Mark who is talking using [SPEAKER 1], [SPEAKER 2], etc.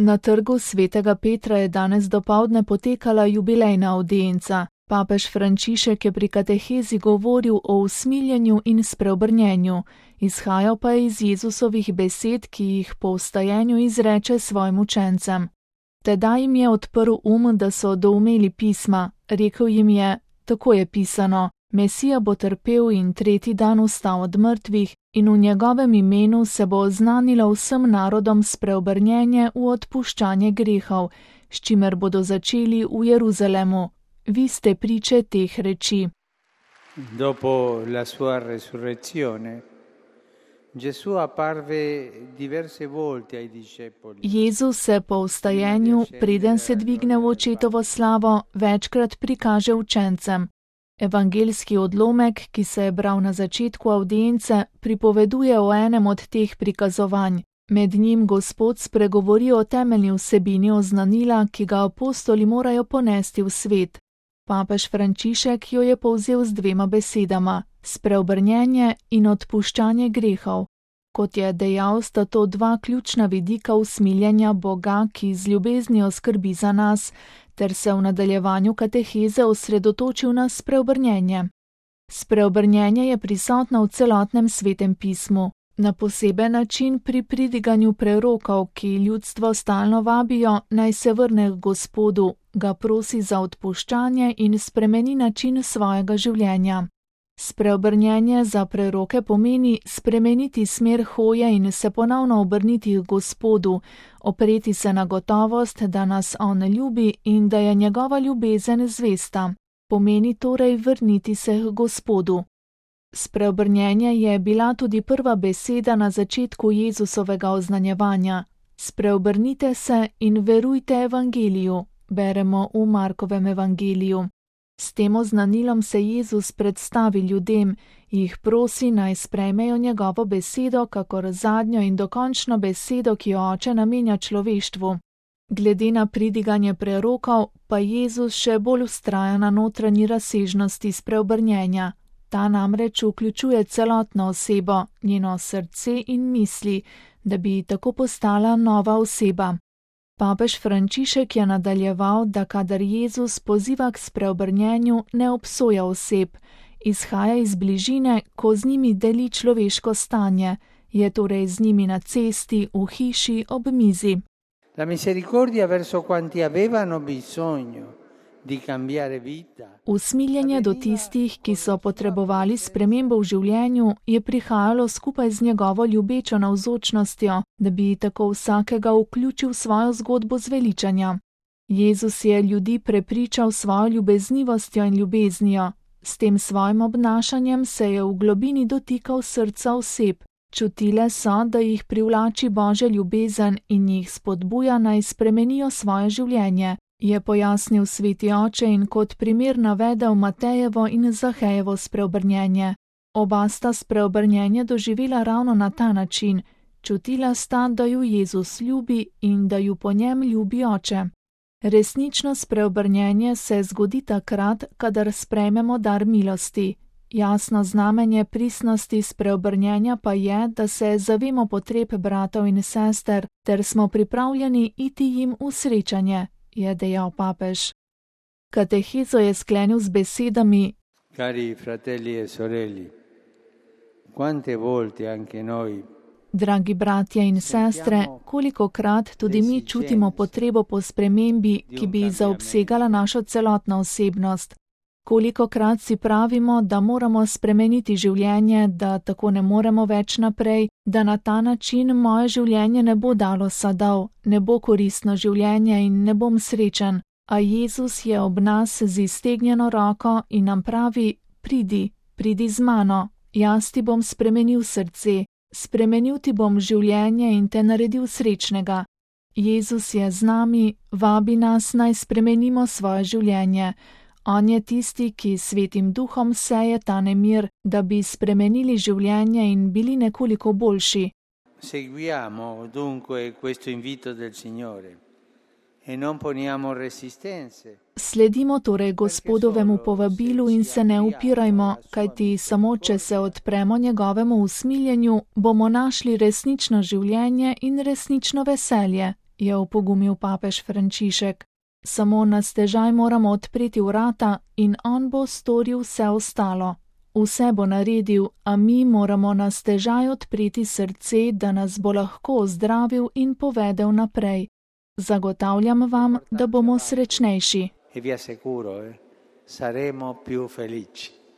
[SPEAKER 1] Na trgu svetega Petra je danes dopoldne potekala jubilejna avdienca. Papež Frančišek je pri katehezi govoril o usmiljenju in spreobrnjenju, izhajal pa je iz Jezusovih besed, ki jih po vstajenju izreče svojim učencem. Tedaj jim je odprl da so doumeli pisma, rekel jim je, tako je pisano, Mesija bo trpel in tretji dan vstal od mrtvih in v njegovem imenu se bo oznanilo vsem narodom spreobrnjenje v odpuščanje grehov, s čimer bodo začeli v Jeruzalemu. Vi ste priče teh reči.
[SPEAKER 2] Dopo la sua resurrezione, Gesù apparve diverse volte ai discepoli.
[SPEAKER 1] Jezus se po vstajenju, preden se dvigne v očetovo slavo, večkrat prikaže učencem. Evangeljski odlomek, ki se je bral na začetku avdience, pripoveduje o enem od teh prikazovanj. Med njim Gospod spregovori o temeljni vsebini oznanila, ki ga apostoli morajo ponesti v svet. Papež Frančišek jo je povzel z dvema besedama: spreobrnjenje in odpuščanje grehov. Kot je dejal, sta to dva ključna vidika usmiljenja Boga, ki z ljubeznijo skrbi za nas, ter se v nadaljevanju kateheze osredotočil na spreobrnjenje. Spreobrnjenje je prisotno v celotnem svetem pismu, na poseben način pri pridiganju prerokov, ki ljudstvo stalno vabijo, naj se vrne k Gospodu, ga prosi za odpuščanje in spremeni način svojega življenja. Spreobrnjenje za preroke pomeni spremeniti smer hoje in se ponovno obrniti k Gospodu, opreti se na gotovost, da nas on ljubi in da je njegova ljubezen zvesta. Pomeni torej vrniti se k Gospodu. Spreobrnjenje je bila tudi prva beseda na začetku Jezusovega oznanjevanja. Spreobrnite se in verujte evangeliju, beremo v Markovem evangeliju. S tem oznanilom se Jezus predstavi ljudem, jih prosi, naj sprejmejo njegovo besedo, kakor zadnjo in dokončno besedo, ki jo Oče namenja človeštvu. Glede na pridiganje prerokov, pa Jezus še bolj vztraja na notranji razsežnosti spreobrnjenja. Ta namreč vključuje celotno osebo, njeno srce in misli, da bi tako postala nova oseba. Papež Frančišek je nadaljeval, da kadar Jezus poziva k spreobrnjenju, ne obsoja oseb, izhaja iz bližine, ko z njimi deli človeško stanje, je torej z njimi na cesti, v hiši, ob mizi.
[SPEAKER 2] La misericordia verso quanti avevano bisogno di cambiare vita.
[SPEAKER 1] Usmiljenje do tistih, ki so potrebovali spremembo v življenju, je prihajalo skupaj z njegovo ljubečo navzočnostjo, da bi tako vsakega vključil v svojo zgodbo zveličanja. Jezus je ljudi prepričal svojo ljubeznivostjo in ljubeznijo. S tem svojim obnašanjem se je v globini dotikal srca oseb. Čutile so, da jih privlači Božja ljubezen in jih spodbuja, naj spremenijo svoje življenje, je pojasnil sveti oče in kot primer navedel Matejevo in Zahejevo spreobrnjenje. Oba sta spreobrnjenje doživela ravno na ta način. Čutila sta, da ju Jezus ljubi in da ju po njem ljubi oče. Resnično spreobrnjenje se zgodi takrat, kadar sprejmemo dar milosti. Jasno znamenje pristnosti spreobrnjenja pa je, da se zavemo potreb bratov in sester, ter smo pripravljeni iti jim v srečanje, je dejal papež. Katehezo je sklenil z besedami:
[SPEAKER 2] Cari fratelli e sorelle, quante volte anche noi,
[SPEAKER 1] dragi bratje in sestre, kolikokrat tudi mi čutimo potrebo po spremembi, ki bi zaobsegala našo celotno osebnost. Kolikokrat si pravimo, da moramo spremeniti življenje, da tako ne moremo več naprej, da na ta način moje življenje ne bo dalo sadov, ne bo koristno življenje in ne bom srečen. A Jezus je ob nas z iztegnjeno roko in nam pravi: pridi z mano, jaz ti bom spremenil srce, spremenil ti bom življenje in te naredil srečnega. Jezus je z nami, vabi nas, naj spremenimo svoje življenje. On je tisti, ki svetim duhom seje ta nemir, da bi spremenili življenje in bili nekoliko boljši.
[SPEAKER 2] Seguiamo dunque questo invito del Signore e non poniamo resistenze.
[SPEAKER 1] Sledimo torej Gospodovemu povabilu in se ne upirajmo, kajti samo če se odpremo njegovemu usmiljenju, bomo našli resnično življenje in resnično veselje, je opogumil papež Frančišek. Samo na stežaj moramo odpreti vrata in on bo storil vse ostalo. Vse bo naredil, a mi moramo na stežaj odpreti srce, da nas bo lahko ozdravil in povedel naprej. Zagotavljam vam, da bomo srečnejši.
[SPEAKER 2] E vi assicuro, saremo più felici.